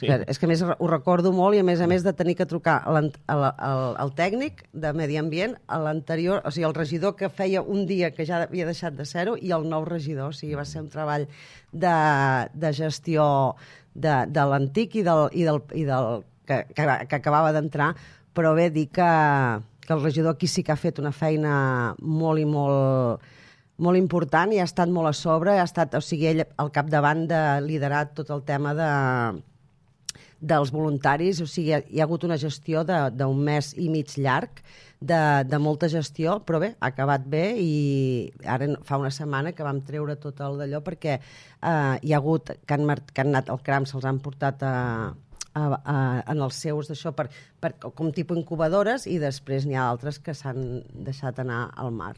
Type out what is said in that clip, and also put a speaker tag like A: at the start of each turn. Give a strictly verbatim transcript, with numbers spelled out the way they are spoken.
A: Sí.
B: És que a més ho recordo molt i a més a més de tenir que trucar al, al, al tècnic de Medi Ambient, a l'anterior, o sigui, el regidor que feia un dia que ja havia deixat de ser-ho i el nou regidor, o sigui, va ser un treball de, de gestió de, de l'antic i del, i del, i del que, que, que acabava d'entrar, però bé, dir que, que el regidor aquí sí que ha fet una feina molt i molt molt important i ha estat molt a sobre, ha estat, o sigui, ell al capdavant de liderar tot el tema de, dels voluntaris, o sigui, hi ha hagut una gestió d'un mes i mig llarg de, de molta gestió, però bé, ha acabat bé i ara fa una setmana que vam treure tot el d'allò perquè eh, hi ha hagut, que han, que han anat al cram, se'ls han portat a, a, a, en els seus d'això per, per, com tipus incubadores i després n'hi ha altres que s'han deixat anar al mar.